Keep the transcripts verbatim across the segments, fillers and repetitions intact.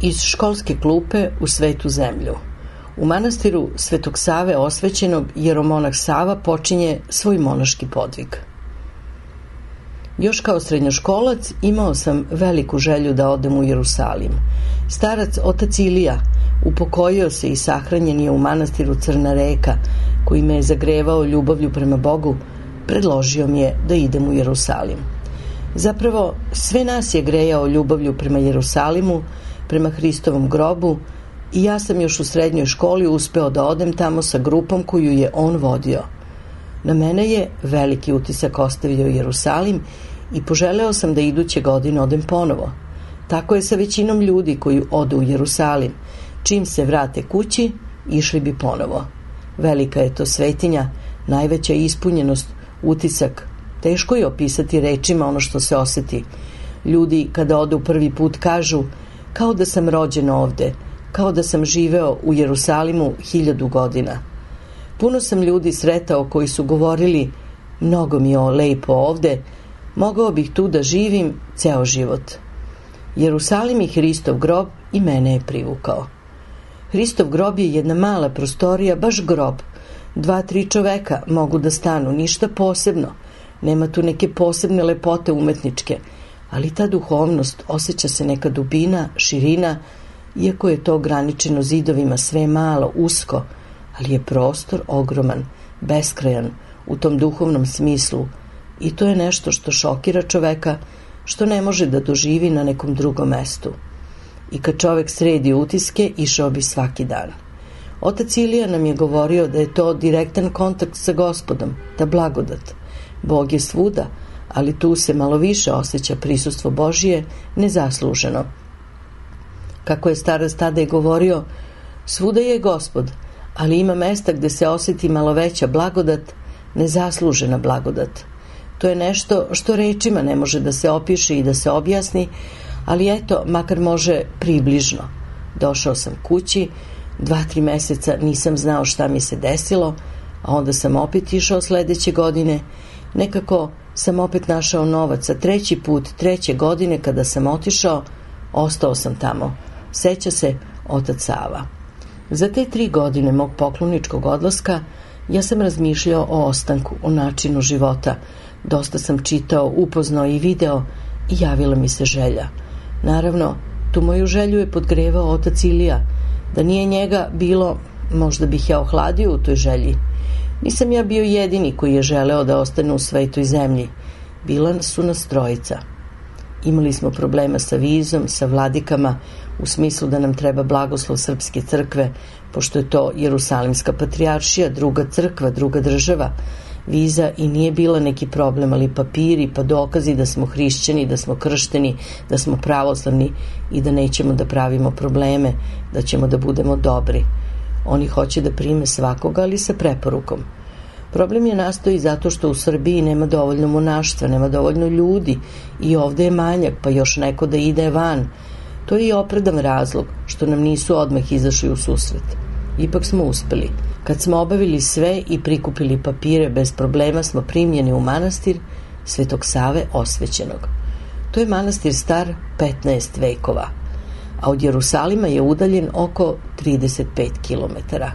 Iz školske klupe u svetu zemlju. U manastiru Svetog Save Osvećenog jeromonah Sava počinje svoj monaški podvig. Još kao srednjoškolac imao sam veliku želju da odem u Jerusalim. Starac otac Ilija upokojio se i sahranjen je u manastiru Crna reka, koji me je zagrevao ljubavlju prema Bogu, predložio mi je da idem u Jerusalim. Zapravo, sve nas je grejao ljubavlju prema Jerusalimu, prema Hristovom grobu, i ja sam još u srednjoj školi uspeo da odem tamo sa grupom koju je on vodio. Na mene je veliki utisak ostavio Jerusalim i poželeo sam da iduće godine odem ponovo. Tako je sa većinom ljudi koji odu u Jerusalim. Čim se vrate kući, išli bi ponovo. Velika je to svetinja, najveća ispunjenost, utisak. Teško je opisati rečima ono što se osjeti. Ljudi kada odu prvi put kažu kao da sam rođen ovde, kao da sam živeo u Jerusalimu hiljadu godina. Puno sam ljudi sretao koji su govorili mnogo mi je lepo ovde, mogao bih tu da živim ceo život. Jerusalim i Hristov grob i mene je privukao. Hristov grob je jedna mala prostorija, baš grob. Dva, tri čoveka mogu da stanu, ništa posebno. Nema tu neke posebne lepote umetničke, ali ta duhovnost, osjeća se neka dubina, širina, iako je to ograničeno zidovima, sve je malo, usko, ali je prostor ogroman, beskrajan u tom duhovnom smislu, i to je nešto što šokira čoveka, što ne može da doživi na nekom drugom mestu. I kad čovek sredi utiske, išao bi svaki dan. Otac Ilija nam je govorio da je to direktan kontakt sa Gospodom, ta blagodat. Bog je svuda, ali tu se malo više osjeća prisustvo Božije nezasluženo. Kako je starac tada i govorio, svuda je Gospod, ali ima mesta gde se osjeti malo veća blagodat, nezaslužena blagodat. To je nešto što rečima ne može da se opiše i da se objasni, ali eto, makar može približno. Došao sam kući, dva, tri meseca nisam znao šta mi se desilo, a onda sam opet išao sledeće godine. Nekako sam opet našao novac, a treći put, treće godine kada sam otišao, ostao sam tamo. Seća se otac Sava. Za te tri godine mog pokloničkog odlaska ja sam razmišljao o ostanku, o načinu života. Dosta sam čitao, upoznao i video i javila mi se želja. Naravno, tu moju želju je podgrevao otac Ilija. Da nije njega bilo, možda bih ja ohladio u toj želji. Nisam ja bio jedini koji je želeo da ostane u svetoj zemlji. Bila su nas trojica. Imali smo problema sa vizom, sa vladikama, u smislu da nam treba blagoslov srpske crkve, pošto je to Jerusalimska patrijaršija, druga crkva, druga država. Viza i nije bila neki problem, ali papiri pa dokazi da smo hrišćani, da smo kršteni, da smo pravoslavni i da nećemo da pravimo probleme, da ćemo da budemo dobri. Oni hoće da prime svakoga, ali sa preporukom. Problem je nastao i zato što u Srbiji nema dovoljno monaštva, nema dovoljno ljudi i ovde je manjak, pa još neko da ide van. To je i opravdan razlog što nam nisu odmah izašli u susret. Ipak smo uspeli. Kad smo obavili sve i prikupili papire, bez problema smo primljeni u manastir Svetog Save Osvećenog. To je manastir star petnaest vekova, a od Jerusalima je udaljen oko trideset pet kilometara.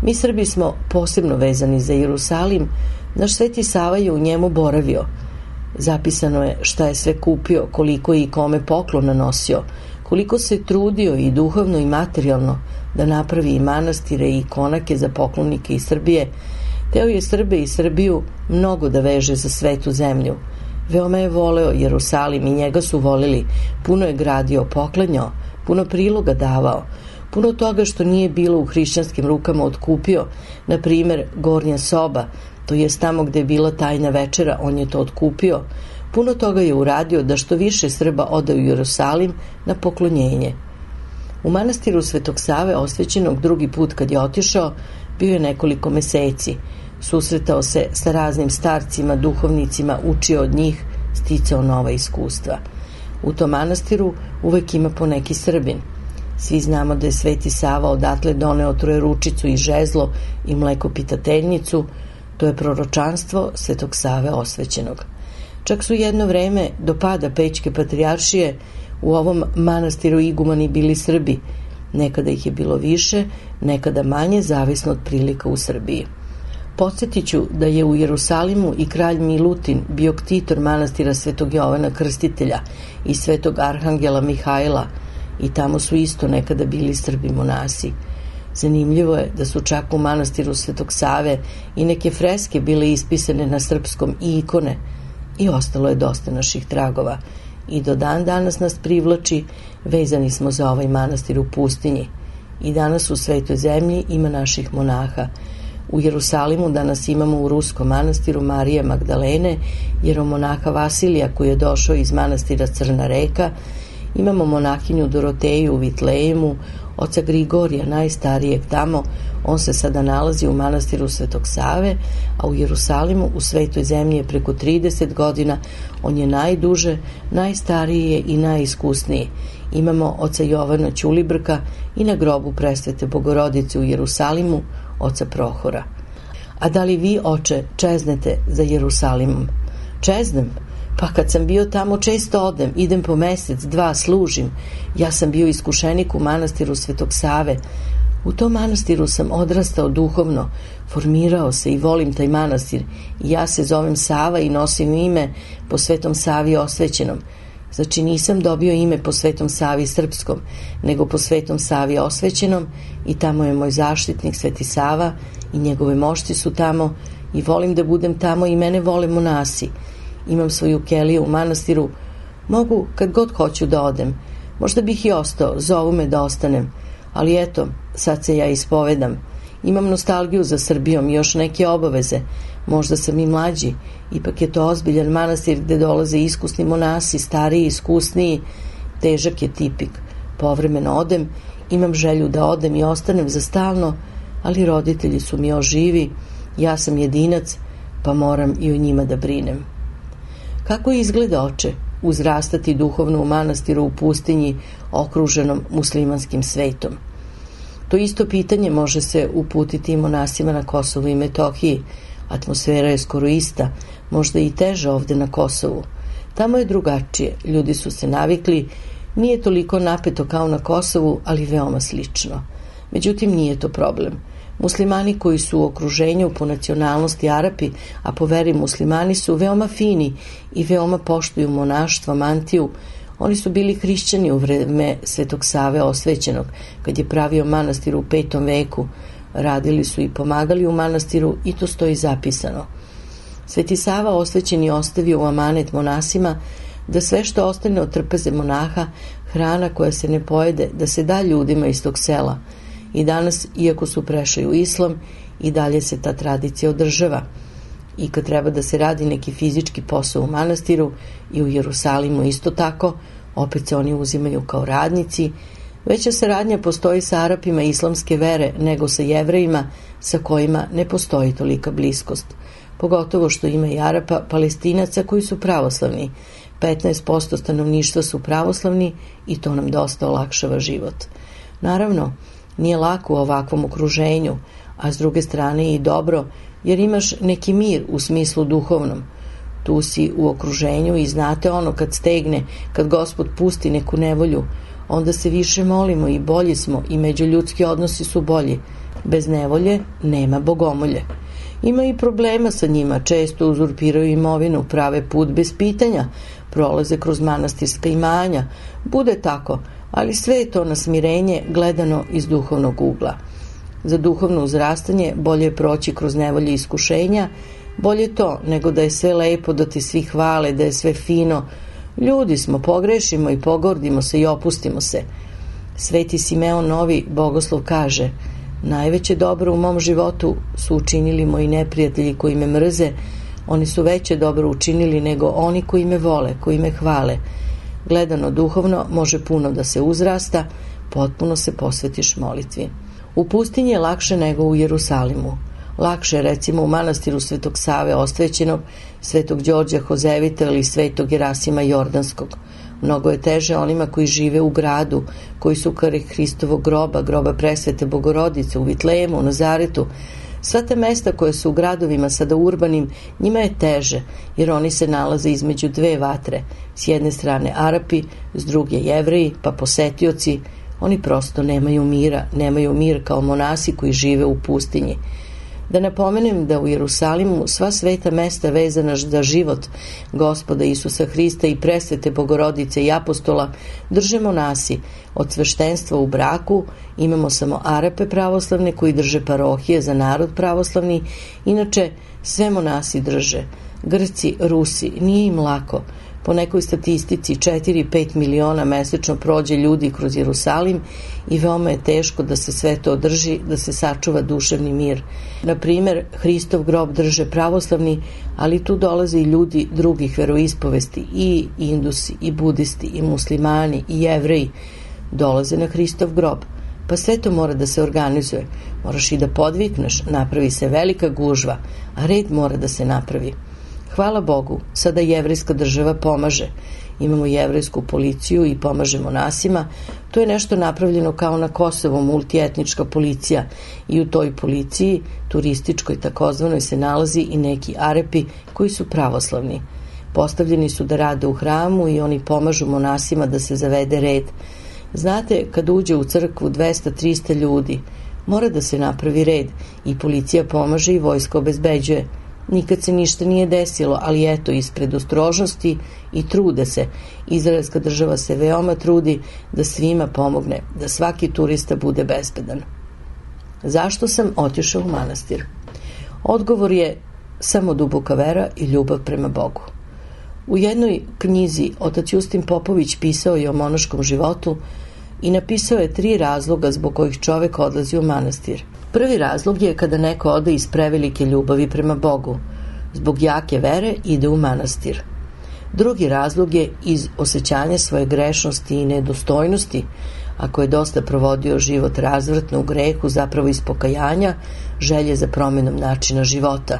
Mi Srbi smo posebno vezani za Jerusalim, naš Sveti Sava je u njemu boravio. Zapisano je šta je sve kupio, koliko je i kome poklona nosio, koliko se trudio i duhovno i materijalno da napravi i manastire i konake za poklonike iz Srbije. Teo je Srbe i Srbiju mnogo da veže za svetu zemlju. Veoma je voleo Jerusalim i njega su volili. Puno je gradio, poklanjao, puno priloga davao. Puno toga što nije bilo u hrišćanskim rukama otkupio, na primer gornja soba, to jest tamo gde je bila tajna večera, on je to otkupio. Puno toga je uradio da što više Srba ode u Jerusalim na poklonjenje. U manastiru Svetog Save Osvećenog drugi put kad je otišao, bio je nekoliko meseci. Susretao se sa raznim starcima, duhovnicima, učio od njih, sticao nova iskustva. U tom manastiru uvek ima po neki Srbin. Svi znamo da je Sveti Sava odatle doneo trojeručicu i žezlo i mlekopitateljnicu, to je proročanstvo Svetog Save Osvećenog. Čak su jedno vreme do pada Pećke patrijaršije u ovom manastiru igumani bili Srbi. Nekada ih je bilo više, nekada manje, zavisno od prilika u Srbiji. Podsjetiću da je u Jerusalimu i kralj Milutin bio ktitor manastira Svetog Jovana Krstitelja i Svetog Arhangela Mihajla i tamo su isto nekada bili Srbi monasi. Zanimljivo je da su čak u manastiru Svetog Save i neke freske bile ispisane na srpskom i ikone i ostalo je dosta naših tragova. I do dan danas nas privlači, vezani smo za ovaj manastir u pustinji. I danas u Svetoj zemlji ima naših monaha. U Jerusalimu danas imamo u Ruskom manastiru Marije Magdalene, jeromonaha Vasilija koji je došao iz manastira Crna reka, imamo monahinju Doroteju u Vitlejemu, oca Grigorija, najstarijeg tamo, on se sada nalazi u manastiru Svetog Save, a u Jerusalimu u Svetoj zemlji je preko trideset godina, on je najduže, najstariji i najiskusniji. Imamo oca Jovana Ćulibrka i na grobu Presvete Bogorodice u Jerusalimu, oca Prohora. A da li vi, oče, čeznete za Jerusalimom? Čeznem? Pa kad sam bio tamo često odem, idem po mesec, dva, služim. Ja sam bio iskušenik u manastiru Svetog Save. U tom manastiru sam odrastao duhovno, formirao se i volim taj manastir. I ja se zovem Sava i nosim ime po Svetom Savi Osvećenom. Znači nisam dobio ime po Svetom Savi Srpskom, nego po Svetom Savi Osvećenom i tamo je moj zaštitnik Sveti Sava i njegove mošti su tamo i volim da budem tamo i mene vole monasi. Imam svoju keliju u manastiru, mogu kad god hoću da odem. Možda bih i ostao, zovu me da ostanem, ali eto, sad se ja ispovedam Imam nostalgiju za Srbijom i još neke obaveze. Možda sam i mlađi. Ipak je to ozbiljan manastir gde dolaze iskusni monasi, stariji, iskusniji. Težak je tipik. Povremeno odem, imam želju da odem i ostanem za stalno, ali roditelji su mi još živi, ja sam jedinac, pa moram i o njima da brinem. Kako izgleda, oče, uzrastati duhovno u manastiru u pustinji okruženom muslimanskim svetom? To isto pitanje može se uputiti i monasima na Kosovu i Metohiji. Atmosfera je skoro ista, možda i teža ovde na Kosovu. Tamo je drugačije, ljudi su se navikli, nije toliko napeto kao na Kosovu, ali veoma slično. Međutim, nije to problem. Muslimani koji su u okruženju po nacionalnosti Arapi, a po veri muslimani su veoma fini i veoma poštuju monaštvo, mantiju. Oni su bili hrišćani u vreme Svetog Save Osvećenog, kad je pravio manastir u petom veku. Radili su i pomagali u manastiru i to stoji zapisano. Sveti Sava Osvećeni ostavio u amanet monasima da sve što ostane od trpeze monaha, hrana koja se ne pojede, da se da ljudima iz tog sela. I danas, iako su prešli u islam, i dalje se ta tradicija održava. I kad treba da se radi neki fizički posao u manastiru i u Jerusalimu isto tako, opet se oni uzimaju kao radnici. Veća saradnja postoji sa Arapima islamske vere nego sa Jevrejima sa kojima ne postoji tolika bliskost. Pogotovo što ima i Arapa, Palestinaca koji su pravoslavni. petnaest posto stanovništva su pravoslavni i to nam dosta olakšava život. Naravno, nije lako u ovakvom okruženju, a s druge strane je i dobro, jer imaš neki mir u smislu duhovnom. Tu si u okruženju i znate ono kad stegne, kad Gospod pusti neku nevolju, onda se više molimo i bolji smo i međuljudski odnosi su bolji. Bez nevolje nema bogomolje. Ima i problema sa njima, često uzurpiraju imovinu, prave put bez pitanja, prolaze kroz manastirska imanja. Bude tako, ali sve je to na smirenje gledano iz duhovnog ugla. Za duhovno uzrastanje bolje je proći kroz nevolje iskušenja, bolje to nego da je sve lepo, da ti svi hvale, da je sve fino. Ljudi smo, pogrešimo i pogordimo se i opustimo se. Sveti Simeon Novi bogoslov kaže: najveće dobro u mom životu su učinili moji neprijatelji koji me mrze, oni su veće dobro učinili nego oni koji me vole, koji me hvale. Gledano duhovno može puno da se uzrasta, potpuno se posvetiš molitvi. U pustinji je lakše nego u Jerusalimu. Lakše je recimo u manastiru Svetog Save Osvećenog, Svetog Đorđa Hozevita ili Svetog Gerasima Jordanskog. Mnogo je teže onima koji žive u gradu, koji su kraj Hristovog groba, groba Presvete Bogorodice, u Vitlejemu, u Nazaretu. Sva ta mesta koje su u gradovima sada urbanim, njima je teže, jer oni se nalaze između dve vatre. S jedne strane Arapi, s druge Jevreji, pa posetioci. Oni prosto nemaju mira, nemaju mir kao monasi koji žive u pustinji. Da napomenem da u Jerusalimu sva sveta mesta vezana za život Gospoda Isusa Hrista i Presvete Bogorodice i apostola drže monasi. Od sveštenstva u braku imamo samo Arape pravoslavne koji drže parohije za narod pravoslavni, inače sve monasi drže. Grci, Rusi, nije im lako. Po nekoj statistici četiri do pet miliona mesečno prođe ljudi kroz Jerusalim i veoma je teško da se sve to održi, da se sačuva duševni mir. Na primer, Hristov grob drže pravoslavni, ali tu dolaze i ljudi drugih veroispovesti, i Indusi, i Budisti, i Muslimani, i Jevreji. Dolaze na Hristov grob. Pa sve to mora da se organizuje. Moraš i da podvikneš, napravi se velika gužva, a red mora da se napravi. Hvala Bogu, sada jevrejska država pomaže. Imamo jevrejsku policiju i pomaže monasima. To je nešto napravljeno kao na Kosovu, multietnička policija. I u toj policiji, turističkoj takozvanoj, se nalazi i neki Arapi koji su pravoslavni. Postavljeni su da rade u hramu i oni pomažu monasima da se zavede red. Znate, kad uđe u crkvu dvesta do trista ljudi, mora da se napravi red i policija pomaže i vojska obezbeđuje. Nikad se ništa nije desilo, ali eto, ispred ostrožnosti i trude se. Izraelska država se veoma trudi da svima pomogne, da svaki turista bude bezbedan. Zašto sam otišao u manastir? Odgovor je samo duboka vera i ljubav prema Bogu. U jednoj knjizi otac Justin Popović pisao je o monaškom životu i napisao je tri razloga zbog kojih čovek odlazi u manastir. Prvi razlog je kada neko ode iz prevelike ljubavi prema Bogu. Zbog jake vere ide u manastir. Drugi razlog je iz osjećanja svoje grešnosti i nedostojnosti, ako je dosta provodio život razvratno u grehu, zapravo iz pokajanja, želje za promjenom načina života.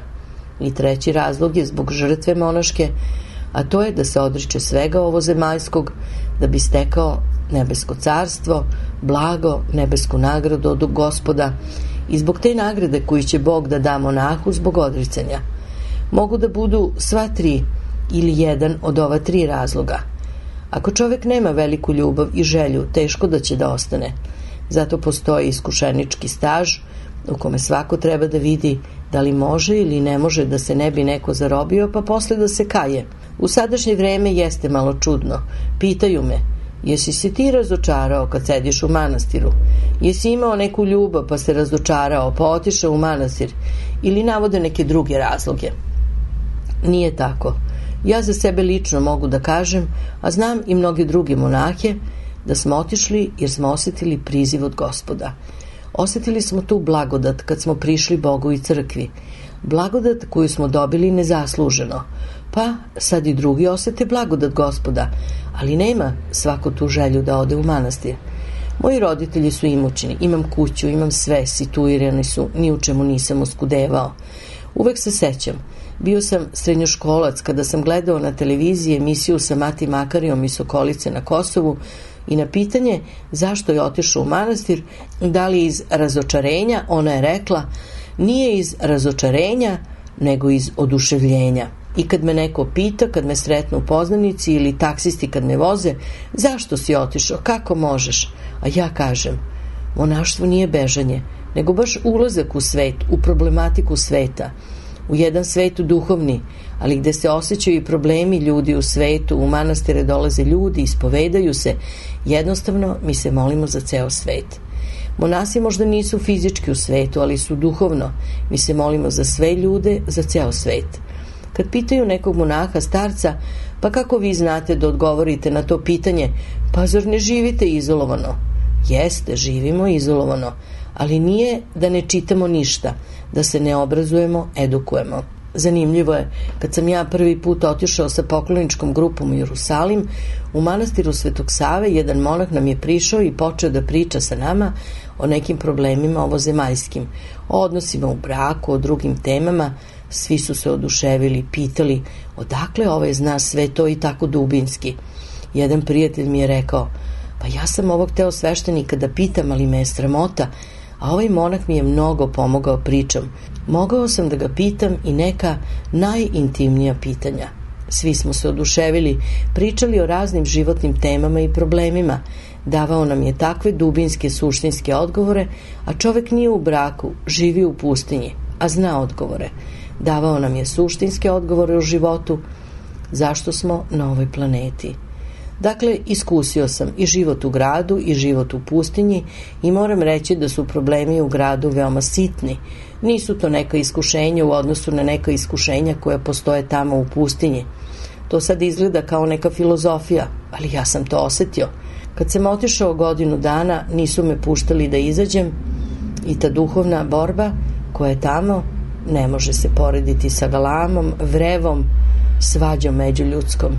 I treći razlog je zbog žrtve monaške, a to je da se odriče svega ovozemaljskog, da bi stekao nebesko carstvo, blago, nebesku nagradu od Gospoda, i zbog te nagrade koju će Bog da da monahu zbog odricanja. Mogu da budu sva tri ili jedan od ova tri razloga. Ako čovjek nema veliku ljubav i želju, teško da će da ostane. Zato postoji iskušenički staž u kome svako treba da vidi da li može ili ne može, da se ne bi neko zarobio pa posle da se kaje. U sadašnje vreme jeste malo čudno. Pitaju me: jesi se ti razočarao kad sediš u manastiru? Jesi imao neku ljubav pa se razočarao pa otišao u manastir? Ili navode neke druge razloge. Nije tako. Ja za sebe lično mogu da kažem, a znam i mnoge druge monahe, da smo otišli jer smo osjetili priziv od Gospoda. Osjetili smo tu blagodat kad smo prišli Bogu i crkvi. Blagodat koju smo dobili nezasluženo. Pa sad i drugi osjete blagodat Gospoda, ali nema svako tu želju da ode u manastir. Moji roditelji su imućni, imam kuću, imam sve, situirani su, ni u čemu nisam oskudevao. Uvek se sećam, bio sam srednjoškolac kada sam gledao na televiziji emisiju sa Mati Makarijom iz Sokolice na Kosovu i na pitanje zašto je otišao u manastir, da li iz razočarenja, ona je rekla: nije iz razočarenja, nego iz oduševljenja. I kad me neko pita, kad me sretnu u poznanici ili taksisti kad me voze: zašto si otišao, kako možeš? A ja kažem: monaštvo nije bežanje, nego baš ulazak u svet, u problematiku sveta, u jedan svet duhovni, ali gde se osjećaju i problemi ljudi u svetu. U manastire dolaze ljudi, ispovedaju se, jednostavno mi se molimo za ceo svet. Monasi možda nisu fizički u svetu, ali su duhovno. Mi se molimo za sve ljude, za ceo svet. Kad pitaju nekog monaha starca: pa kako vi znate da odgovorite na to pitanje? Pa zar ne živite izolovano? Jeste, živimo izolovano, ali nije da ne čitamo ništa, da se ne obrazujemo, edukujemo. Zanimljivo je, kad sam ja prvi put otišao sa pokloničkom grupom u Jerusalim, u manastiru Svetog Save jedan monah nam je prišao i počeo da priča sa nama o nekim problemima ovozemaljskim, o odnosima u braku, o drugim temama. Svi su se oduševili, pitali odakle ovaj zna sve to i tako dubinski. Jedan prijatelj mi je rekao: pa ja sam ovog teo sveštenika da pitam, ali me je sramota, a ovaj monah mi je mnogo pomogao pričom. Mogao sam da ga pitam i neka najintimnija pitanja. Svi smo se oduševili, pričali o raznim životnim temama i problemima. Davao nam je takve dubinske, suštinske odgovore, a čovek nije u braku, živi u pustinji, a zna odgovore. Davao nam je suštinske odgovore o životu, zašto smo na ovoj planeti. Dakle, iskusio sam i život u gradu i život u pustinji i moram reći da su problemi u gradu veoma sitni. Nisu to neka iskušenja u odnosu na neka iskušenja koja postoje tamo u pustinji. To sad izgleda kao neka filozofija, ali ja sam to osetio. Kad sam otišao godinu dana, nisu me puštali da izađem i ta duhovna borba koja je tamo ne može se porediti sa galamom, vrevom, svađom međuljudskom.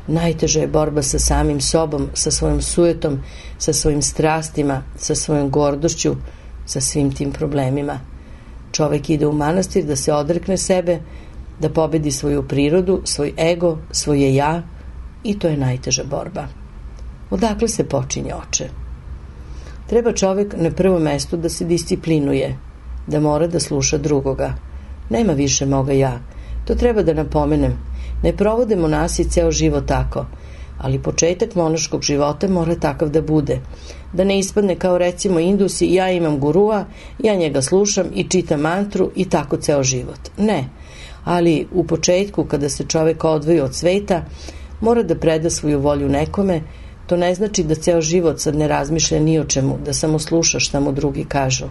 Najteža je borba sa samim sobom, sa svojom sujetom, sa svojim strastima, sa svojom gordošću, sa svim tim problemima. Čovek ide u manastir da se odrekne sebe, da pobedi svoju prirodu, svoj ego, svoje ja, i to je najteža borba. Odakle se počinje, oče? Treba čovek na prvom mestu da se disciplinuje, da mora da sluša drugoga. Nema više moga ja. To treba da napomenem. Ne provode monasi ceo život tako, ali početak monaškog života mora takav da bude. Da ne ispadne kao recimo Indusi: ja imam gurua, ja njega slušam i čitam mantru i tako ceo život. Ne, ali u početku kada se čovek odvoji od sveta, mora da preda svoju volju nekome. To ne znači da ceo život sad ne razmišlja ni o čemu, da samo sluša šta mu drugi kažu.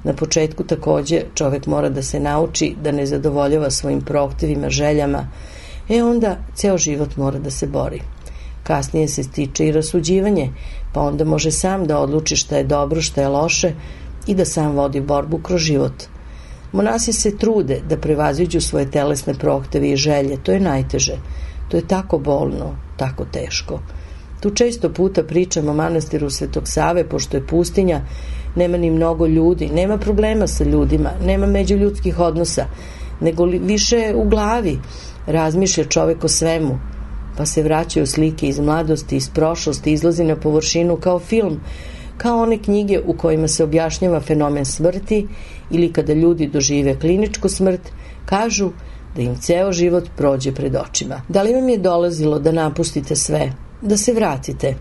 Na početku takođe čovek mora da se nauči da ne zadovoljava svojim prohtevima, željama. E onda ceo život mora da se bori. kasnije se stiče i rasuđivanje, pa onda može sam da odluči šta je dobro, šta je loše i da sam vodi borbu kroz život. Monasi se trude da prevaziđu svoje telesne prohteve i želje, to je najteže, to je tako bolno, tako teško. Tu često puta pričam o manastiru Svetog Save, pošto je pustinja, nema ni mnogo ljudi, nema problema sa ljudima, nema međuljudskih odnosa, nego li više u glavi razmišlja čovek o svemu, pa se vraćaju slike iz mladosti, iz prošlosti, izlazi na površinu kao film, kao one knjige u kojima se objašnjava fenomen smrti ili kada ljudi dožive kliničku smrt, kažu da im ceo život prođe pred očima. Da li vam je dolazilo da napustite sve, da se vratite?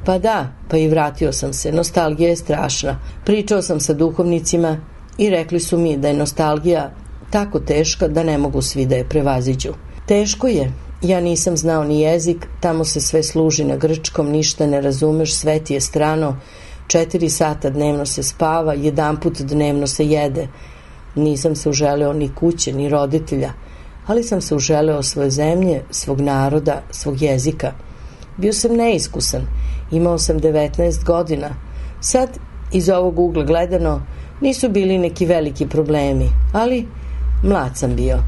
Pa da, pa i vratio sam se. Nostalgija je strašna. Pričao sam sa duhovnicima i rekli su mi da je nostalgija tako teška da ne mogu svi da je prevaziđu. Teško je. Ja nisam znao ni jezik, tamo se sve služi na grčkom, ništa ne razumeš, sve ti je strano, četiri sata dnevno se spava, jedan put dnevno se jede. Nisam se uželeo ni kuće, ni roditelja, ali sam se uželeo svoje zemlje, svog naroda, svog jezika. Bio sam neiskusan, imao sam devetnaest godina. Sad, iz ovog ugla gledano, nisu bili neki veliki problemi, ali mlad sam bio.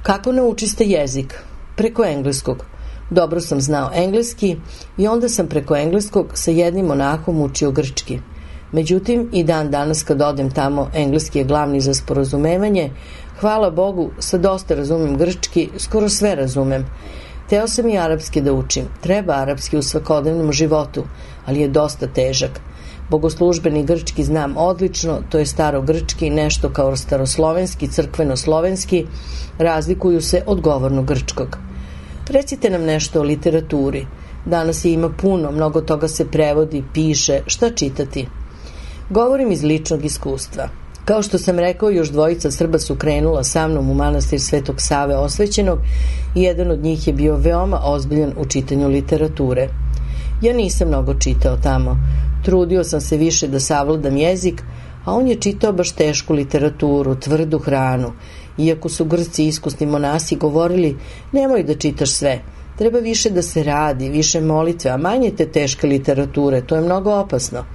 Kako naučiste jezik? Preko engleskog. Dobro sam znao engleski i onda sam preko engleskog sa jednim monahom učio grčki. Međutim, i dan danas kad odem tamo, engleski je glavni za sporazumevanje. Hvala Bogu, sad dosta razumem grčki, skoro sve razumem. Teo sam i arapski da učim. Treba arapski u svakodnevnom životu, ali je dosta težak. Bogoslužbeni grčki znam odlično, to je starogrčki, nešto kao staroslovenski, crkveno-slovenski, razlikuju se od govornog grčkog. Recite nam nešto o literaturi. Danas je ima puno, mnogo toga se prevodi, piše, šta čitati? Govorim iz ličnog iskustva. Kao što sam rekao, još dvojica Srba su krenula sa mnom u manastir Svetog Save Osvećenog i jedan od njih je bio veoma ozbiljan u čitanju literature. Ja nisam mnogo čitao tamo. Trudio sam se više da savladam jezik, a on je čitao baš tešku literaturu, tvrdu hranu. Iako su Grci iskusni monasi govorili, nemoj da čitaš sve, treba više da se radi, više molitve, a manje te teške literature, to je mnogo opasno.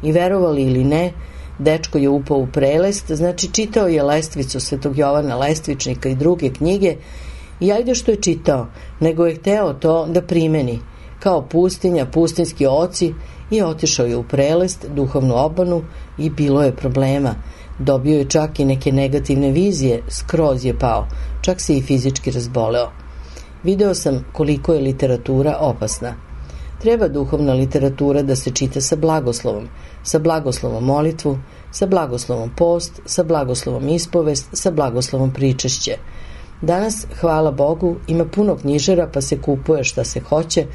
I verovali ili ne, dečko je upao u prelest, znači čitao je Lestvicu Svetog Jovana Lestvičnika i druge knjige i ajde što je čitao, nego je hteo to da primeni. Kao pustinja, pustinski oci, i otišao je u prelest, duhovnu obmanu i bilo je problema. Dobio je čak i neke negativne vizije, skroz je pao, čak se i fizički razboleo. Video sam koliko je literatura opasna. Treba duhovna literatura da se čita sa blagoslovom, sa blagoslovom molitvu, sa blagoslovom post, sa blagoslovom ispovest, sa blagoslovom pričešće. Danas, hvala Bogu, ima puno knjižara pa se kupuje šta se hoće,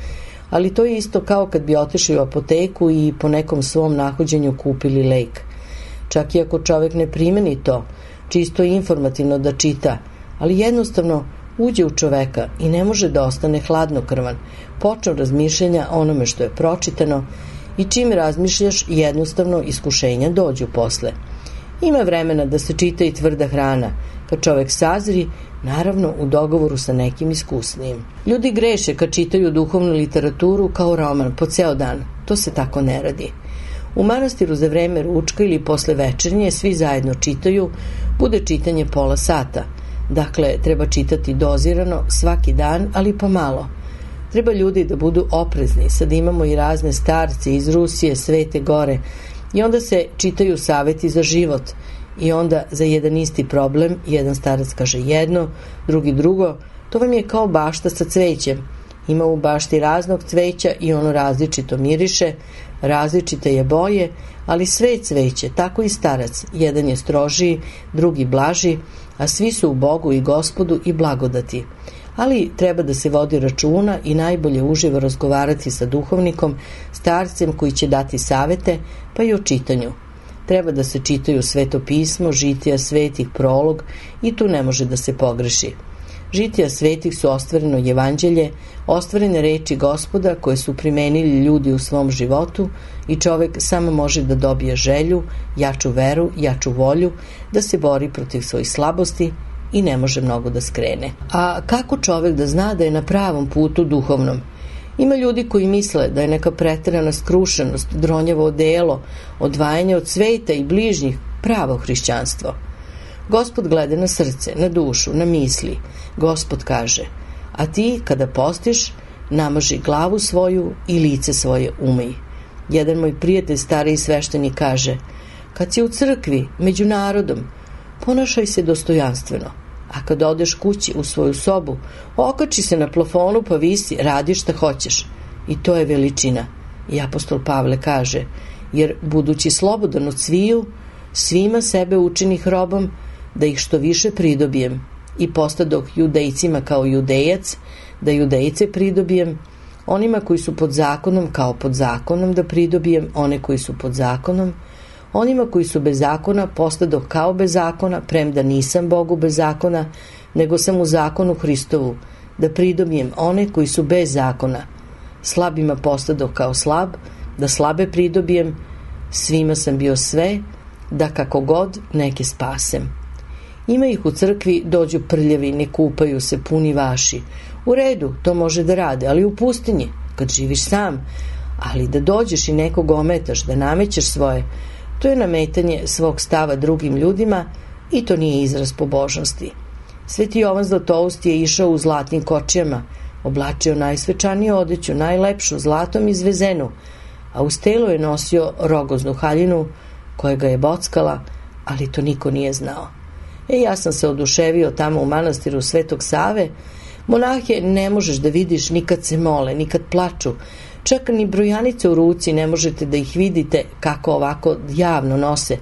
ali to je isto kao kad bi otišli u apoteku i po nekom svom nahođenju kupili lek. Čak i ako čovjek ne primeni to, čisto informativno da čita, ali jednostavno uđe u čoveka i ne može da ostane hladnokrvan, počne razmišljanja onome što je pročitano i čim razmišljaš jednostavno iskušenja dođu posle. Ima vremena da se čita i tvrda hrana, kad čovek sazri, naravno u dogovoru sa nekim iskusnijim. Ljudi greše kad čitaju duhovnu literaturu kao roman po ceo dan, to se tako ne radi. U manastiru za vreme ručka ili posle večernje svi zajedno čitaju, bude čitanje pola sata. Dakle, treba čitati dozirano svaki dan, ali pomalo. Treba ljudi da budu oprezni, sad imamo i razne starce iz Rusije, Svete Gore, i onda se čitaju saveti za život i onda za jedan isti problem jedan starac kaže jedno, drugi drugo, to vam je kao bašta sa cvećem. Ima u bašti raznog cveća i ono različito miriše, različite je boje, ali sve je cveće, tako i starac. Jedan je strožiji, drugi blaži, a svi su u Bogu i Gospodu i blagodati. Ali treba da se vodi računa i najbolje uživo razgovarati sa duhovnikom, starcem koji će dati savete, pa i o čitanju. Treba da se čitaju Sveto pismo, žitija svetih, prolog i tu ne može da se pogreši. Žitija svetih su ostvareno evanđelje, ostvarene reči Gospoda koje su primenili ljudi u svom životu i čovek samo može da dobije želju, jaču veru, jaču volju, da se bori protiv svojih slabosti i ne može mnogo da skrene. A kako čovek da zna da je na pravom putu duhovnom? Ima ljudi koji misle da je neka preterana skrušenost, dronjavo odelo, odvajanje od sveta i bližnjih pravo hrišćanstvo. Gospod gleda na srce, na dušu, na misli. Gospod kaže, a ti kada postiš, namaži glavu svoju i lice svoje umij. Jedan moj prijatelj, stariji sveštenik, kaže, kad si u crkvi, među narodom, ponašaj se dostojanstveno, a kad odeš kući u svoju sobu, okači se na plafonu pa visi, radi šta hoćeš. I to je veličina. I apostol Pavle kaže, jer budući slobodan od sviju, svima sebe učinih robom, da ih što više pridobijem, i postadoh judejcima kao judejac, da judejce pridobijem, onima koji su pod zakonom kao pod zakonom da pridobijem one koji su pod zakonom, onima koji su bez zakona postadoh kao bez zakona, premda nisam Bogu bez zakona, nego sam u zakonu Hristovu, da pridobijem one koji su bez zakona. Slabima postadoh kao slab, da slabe pridobijem, svima sam bio sve, da kako god neke spasem. Ima ih u crkvi, dođu prljavi, ne kupaju se, puni vaši. U redu, to može da rade, ali u pustinji, kad živiš sam. Ali da dođeš i nekog ometaš, da namećeš svoje, to je nametanje svog stava drugim ljudima i to nije izraz pobožnosti. Sveti Jovan Zlatoust je išao u zlatnim kočijama, oblačio najsvečaniju odeću, najlepšu, zlatom izvezenu, a uz telo je nosio rogoznu haljinu koja ga je bockala, ali to niko nije znao. E, ja sam se oduševio tamo u manastiru Svetog Save. Monahe ne možeš da vidiš ni kad se mole, ni kad plaču. Čak ni brojanice u ruci ne možete da ih vidite kako ovako javno nose,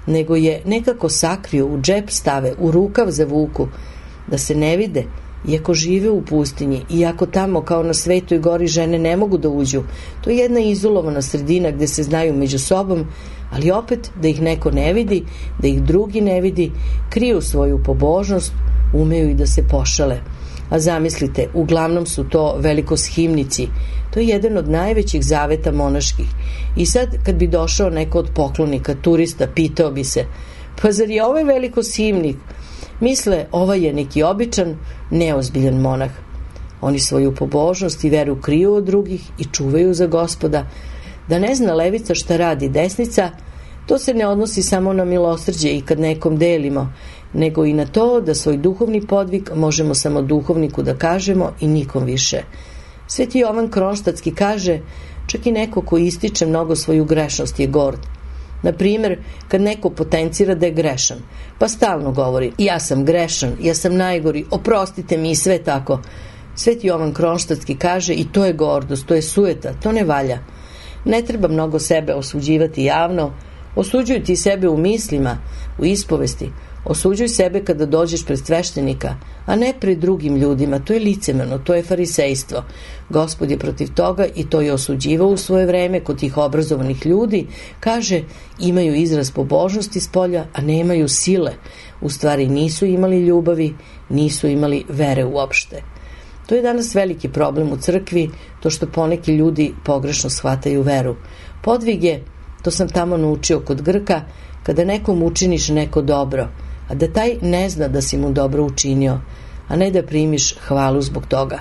nego je nekako sakriju, u džep stave, u rukav zavuku, da se ne vide, iako žive u pustinji, iako tamo kao na Svetoj gori žene ne mogu da uđu. To je jedna izolovana sredina gde se znaju među sobom, ali opet da ih neko ne vidi, da ih drugi ne vidi, kriju svoju pobožnost, umeju i da se pošale. A zamislite, uglavnom su to velikoshimnici. To je jedan od najvećih zaveta monaških. I sad kad bi došao neko od poklonika, turista, pitao bi se, pa zar je ovaj velikoshimnik? Misle, ovaj je neki običan, neozbiljan monah. Oni svoju pobožnost i veru kriju od drugih i čuvaju za Gospoda. Da ne zna levica šta radi desnica, to se ne odnosi samo na milosrđe i kad nekom delimo, nego i na to da svoj duhovni podvig možemo samo duhovniku da kažemo i nikom više. Sveti Jovan Kronštatski kaže, čak i neko ko ističe mnogo svoju grešnost je gord. Na primjer, kad neko potencira da je grešan, pa stalno govori, ja sam grešan, ja sam najgori, oprostite mi i sve tako. Sveti Jovan Kronštatski kaže, i to je gordost, to je sujeta, to ne valja. Ne treba mnogo sebe osuđivati javno, osuđuj ti sebe u mislima, u ispovesti, osuđuj sebe kada dođeš pred sveštenika, a ne pred drugim ljudima, to je licemerno, to je farisejstvo. Gospod je protiv toga i to je osuđivao u svoje vreme kod tih obrazovanih ljudi, kaže, imaju izraz pobožnosti s polja, a nemaju sile, u stvari nisu imali ljubavi, nisu imali vere uopšte. To je danas veliki problem u crkvi, to što poneki ljudi pogrešno shvataju veru. Podvig je, to sam tamo naučio kod Grka, kada nekom učiniš neko dobro, a da taj ne zna da si mu dobro učinio, a ne da primiš hvalu zbog toga.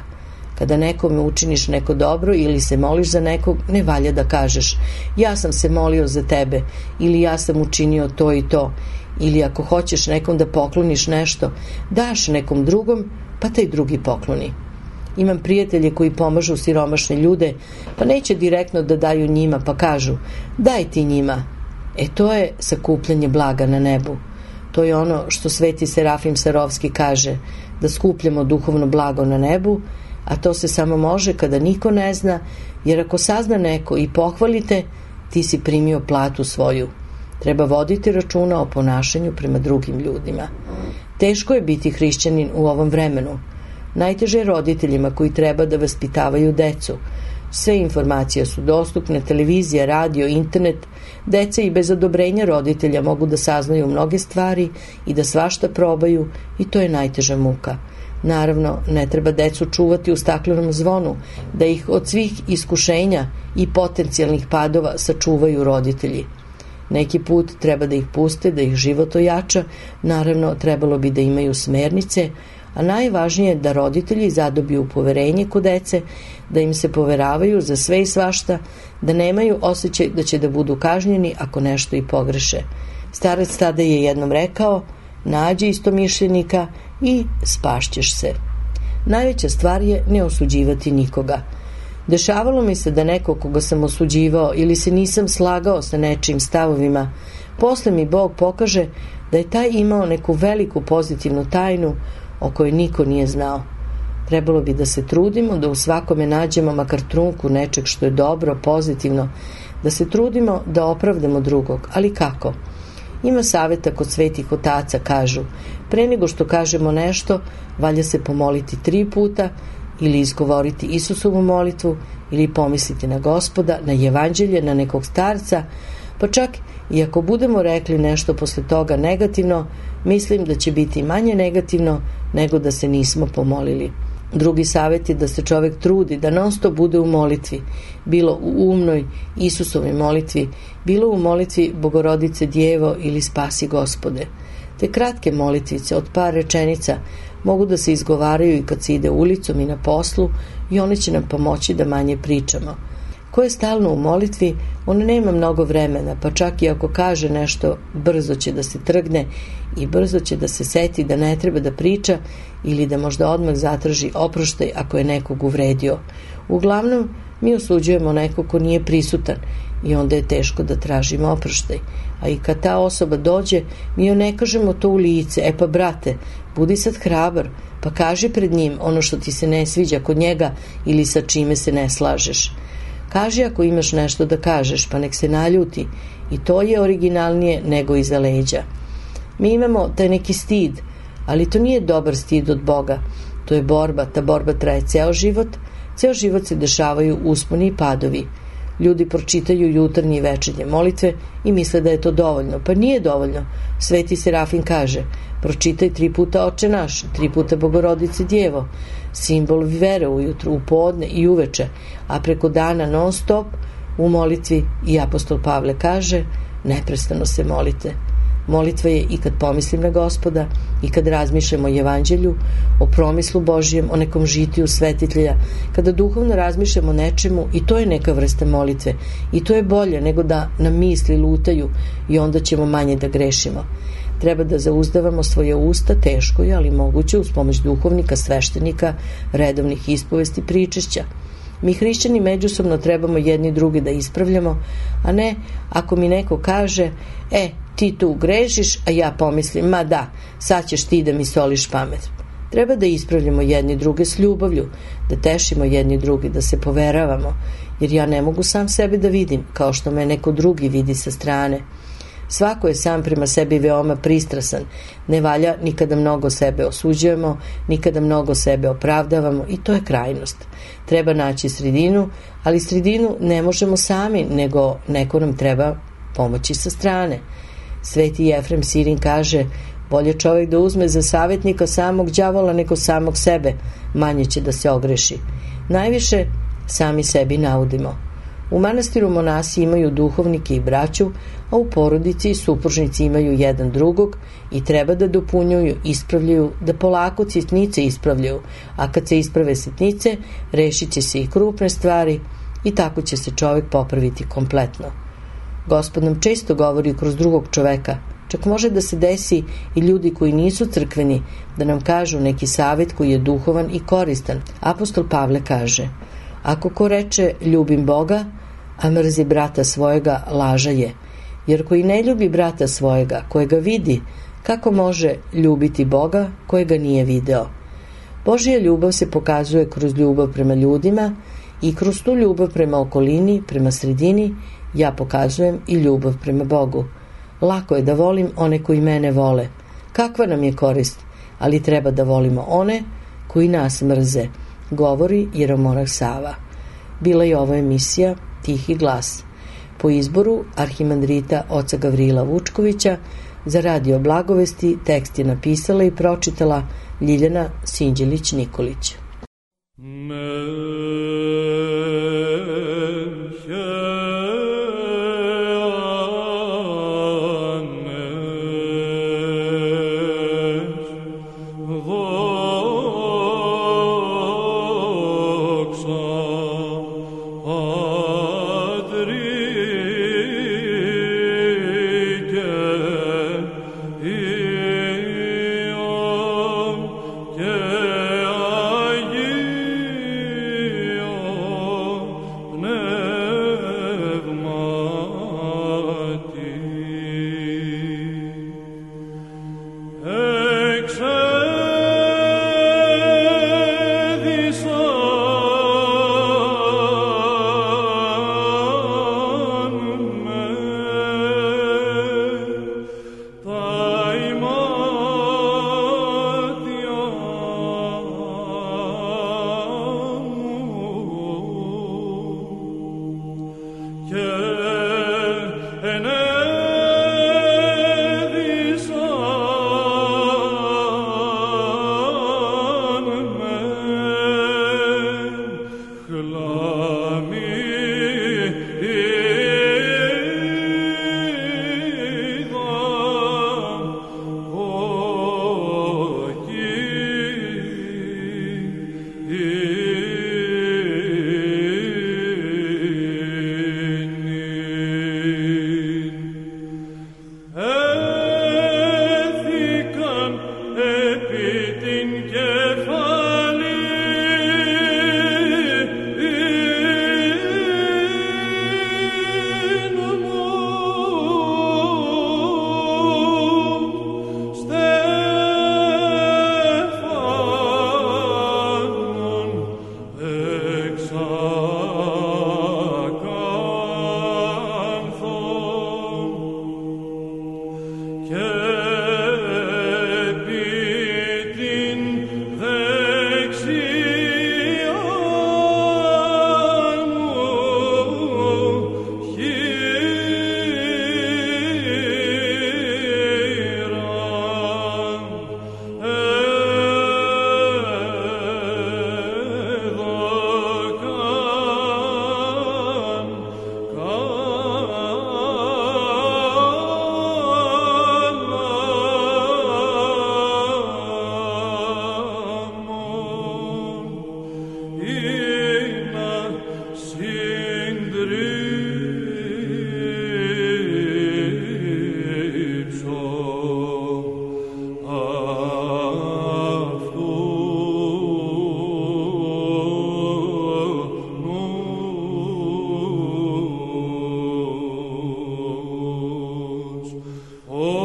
Kada nekome učiniš neko dobro ili se moliš za nekog, ne valja da kažeš ja sam se molio za tebe ili ja sam učinio to i to, ili ako hoćeš nekom da pokloniš nešto, daš nekom drugom, pa taj drugi pokloni. Imam prijatelje koji pomažu siromašne ljude, pa neće direktno da daju njima, pa kažu daj ti njima. E to je sakupljanje blaga na nebu. To je ono što sveti Serafim Sarovski kaže, da skupljamo duhovno blago na nebu, a to se samo može kada niko ne zna, jer ako sazna neko i pohvalite, ti si primio platu svoju. Treba voditi računa o ponašanju prema drugim ljudima. Teško je biti hrišćanin u ovom vremenu. Najteže je roditeljima koji treba da vaspitavaju decu. Sve informacije su dostupne, televizija, radio, internet. Deca i bez odobrenja roditelja mogu da saznaju mnoge stvari i da svašta probaju i to je najteža muka. Naravno, ne treba decu čuvati u staklenom zvonu, da ih od svih iskušenja i potencijalnih padova sačuvaju roditelji. Neki put treba da ih puste, da ih život ojača, naravno trebalo bi da imaju smernice, a najvažnije je da roditelji zadobiju poverenje kod dece, da im se poveravaju za sve i svašta, da nemaju osjećaj da će da budu kažnjeni ako nešto i pogreše. Starac tada je jednom rekao: nađi istomišljenika i spašćeš se. Najveća stvar je ne osuđivati nikoga. Dešavalo mi se da neko koga sam osuđivao ili se nisam slagao sa nečijim stavovima, posle mi Bog pokaže da je taj imao neku veliku pozitivnu tajnu o kojoj niko nije znao. Trebalo bi da se trudimo da u svakome nađemo makar trunku nečeg što je dobro, pozitivno, da se trudimo da opravdamo drugog. Ali kako? Ima saveta kod svetih otaca, kažu: pre nego što kažemo nešto, valja se pomoliti tri puta, ili izgovoriti Isusovu molitvu, ili pomisliti na Gospoda, na evanđelje, na nekog starca, pa čak i ako budemo rekli nešto posle toga negativno, mislim da će biti manje negativno nego da se nismo pomolili. Drugi savjet je da se čovek trudi, da non stop bude u molitvi, bilo u umnoj Isusovoj molitvi, bilo u molitvi Bogorodice Djevo ili Spasi Gospode. Te kratke molitvice od par rečenica mogu da se izgovaraju i kad se ide ulicom i na poslu, i one će nam pomoći da manje pričamo. Ko je stalno u molitvi, on nema mnogo vremena, pa čak i ako kaže nešto, brzo će da se trgne i brzo će da se seti da ne treba da priča ili da možda odmah zatraži oproštaj ako je nekog uvredio. Uglavnom, mi osuđujemo nekog ko nije prisutan i onda je teško da tražimo oproštaj. A i kad ta osoba dođe, mi joj ne kažemo to u lice: e pa brate, budi sad hrabar, pa kaži pred njim ono što ti se ne sviđa kod njega ili sa čime se ne slažeš. Kaži ako imaš nešto da kažeš, pa nek se naljuti, i to je originalnije nego iza leđa. Mi imamo taj neki stid, ali to nije dobar stid od Boga. To je borba, ta borba traje ceo život, ceo život se dešavaju usponi i padovi. Ljudi pročitaju jutarnje i večernje molitve i misle da je to dovoljno. Pa nije dovoljno. Sveti Serafin kaže: pročitaj tri puta Oče naš, tri puta Bogorodice Djevo, simbol vere ujutru, u podne i uveče, a preko dana non stop u molitvi. I apostol Pavle kaže: neprestano se molite. Molitva je i kad pomislim na Gospoda, i kad razmišljam o evanđelju, o promislu Božijem, o nekom žitiju svetitelja, kada duhovno razmišljam o nečemu, i to je neka vrsta molitve, i to je bolje nego da nam misli lutaju i onda ćemo manje da grešimo. Treba da zauzdavamo svoje usta, teško je, ali moguće, uz pomoć duhovnika, sveštenika, redovnih ispovesti, pričešća. Mi hrišćani međusobno trebamo jedni drugi da ispravljamo, a ne ako mi neko kaže: e, ti tu grešiš, a ja pomislim: ma da, sad ćeš ti da mi soliš pamet. Treba da ispravljamo jedni druge s ljubavlju, da tešimo jedni drugi, da se poveravamo, jer ja ne mogu sam sebe da vidim kao što me neko drugi vidi sa strane. Svako je sam prema sebi veoma pristrasan. Ne valja nikada mnogo sebe osuđujemo, nikada mnogo sebe opravdavamo, i to je krajnost. Treba naći sredinu, ali sredinu ne možemo sami, nego neko nam treba pomoći sa strane. Sveti Jefrem Sirin kaže: bolje čovjek da uzme za savjetnika samog đavola nego samog sebe, manje će da se ogreši. Najviše sami sebi naudimo. U manastiru monasi imaju duhovnike i braću, a u porodici supružnici imaju jedan drugog i treba da dopunjuju, ispravljaju, da polako sitnice ispravljaju, a kad se isprave sitnice, rešit će se i krupne stvari i tako će se čovjek popraviti kompletno. Gospod nam često govori kroz drugog čoveka, čak može da se desi i ljudi koji nisu crkveni da nam kažu neki savjet koji je duhovan i koristan. Apostol Pavle kaže: ako ko reče ljubim Boga, a mrzi brata svojega, laža je. Jer koji ne ljubi brata svojega, kojega vidi, kako može ljubiti Boga kojega nije video? Božja ljubav se pokazuje kroz ljubav prema ljudima i kroz tu ljubav prema okolini, prema sredini, ja pokazujem i ljubav prema Bogu. Lako je da volim one koji mene vole. Kakva nam je korist? Ali treba da volimo one koji nas mrze, govori jeromonah Sava. Bila je ovo emisija Tihi glas. Po izboru arhimandrita oca Gavrila Vučkovića, za Radio Blagovesti tekst je napisala i pročitala Ljiljana Sinđelić-Nikolić. Oh O